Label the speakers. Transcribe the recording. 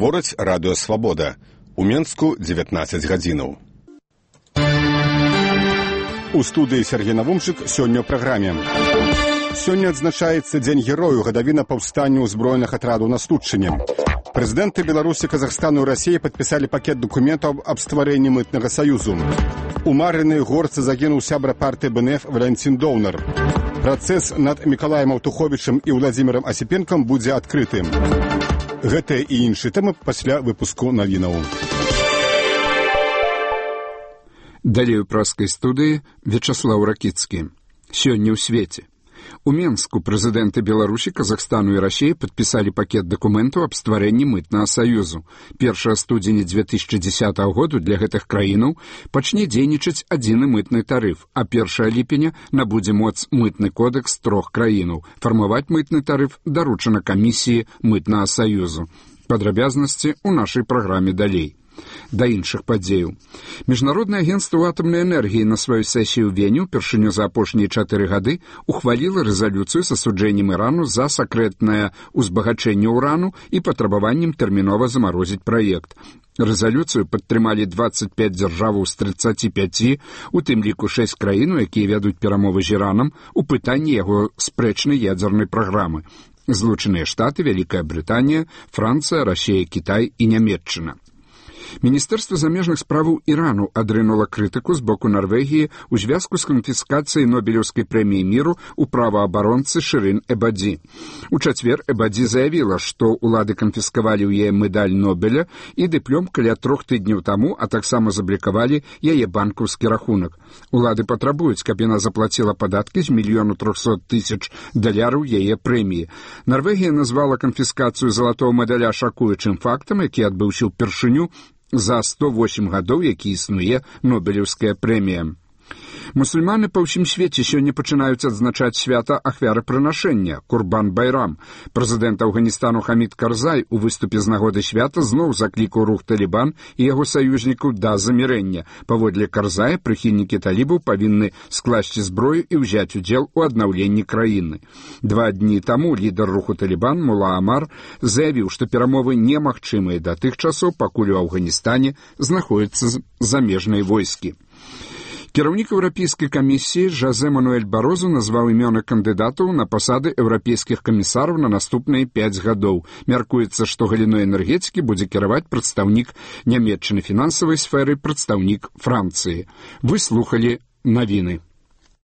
Speaker 1: Гаворыць радыё «Свабода». У Менску 19 гадзінаў. У студыі Сергей Навумчык сёння ў праграме. Сёння адзначаецца Дзень герою, гадавіна паўстання ўзброеных атрадаў на Студчыне. Прэзідэнты Беларусі, Казахстану і Расіі падпісалі пакет дакументаў аб стварэнні мытнага саюзу. У Марынай Горцы загінуў сябра партыі БНФ Валянцін Доўнар. Працэс над Мікалаем Аўтуховічым і Владзімірам Асіпенкам будзе адкрытым. Гэтыя і іншыя тэмы пасля выпуску навінаў.
Speaker 2: Далей у праскай студыі Вячаслаў Ракіцкі. Сёння ў свеце. У Менску прэзідэнты Беларусі, Казахстану і Расіі падпісалі пакет дакументаў аб стварэнні мытнага саюзу. 1 студзеня 2010 году для гэтых краінаў пачне дзейнічаць адзіны мытны тарыф, а 1 ліпеня набудзе моц мытны кодэкс 3 краінаў. Фармаваць мытны тарыф даручана камісіі мытнага саюзу. Падрабязнасці ў нашай праграме далей. Да іншых падзеяў. Міжнароднае агенцтва атамнай энергіі на сваёй сесіі ў Вені ўпершыню за апошнія 4 гады ухваліла рэзалюцыю з асуджэннем Ірану за сакрэтнае ўзбагачэнне ўрану і патрабаваннем тэрмінова замарозіць праект. Рэзалюцыю падтрымалі 25 дзяржаваў з 35, у тым ліку 6 краін, якія вядуць перамовы з Іранам у пытанні яго спрэчнай ядзернай праграмы. Злучаныя Штаты, Вялікая Брытанія, Францыя, Расія, Кітай і Нямецчына. Міністэрства замежных справаў Ірану адрынула крытыку з боку Нарвегіі ў звязку з канфіскацыяй Нобелеўскай прэміі міру ў праваабаронцы Шырын Эбаді. У чацвер Эбаді заявіла, што ўлады канфіскавалі ў яе медаль Нобеля і дыплём каля 3 тыдняў таму, а таксама заблікавалі яе банкаўскі рахунак. Улады патрабуюць, каб яна заплаціла падаткі з $1 300 000 яе прэміі. Нарвегія назвала канфіскацыю залатого медаля шакуючым фактам, які адбыўся ўпершыню за 108 гадоў, які існуе Нобелеўская прэмія. Мусульманы па ўсім свеце сёння пачынаюць адзначаць свята ахвярапрынашэння Курбан-Байрам. Прэзідэнт Афганістану Хамід Карзай у выступе з нагоды свята зноў заклікаў рух Талібан і яго саюзнікаў да замірэння. Паводле Карзая, прыхільнікі талібаў павінны скласці зброю і ўзяць удзел у аднаўленні краіны. 2 дні таму лідар руху Талібан Мула Амар заявіў, што перамовы немагчымыя да тых часоў, пакуль у Афганістане знаходзяцца замежныя войскі. Кіраўнік Еўрапейскай камісіі Жозе Мануэль Барозу назваў імёны кандыдатаў на пасады еўрапейскіх камісараў на наступныя 5 гадоў. Мяркуецца, што галіной энергетыкі будзе кіраваць прадстаўнік нямецчаны, фінансавай сферы прадстаўнік Францыі. Вы слухалі навіны.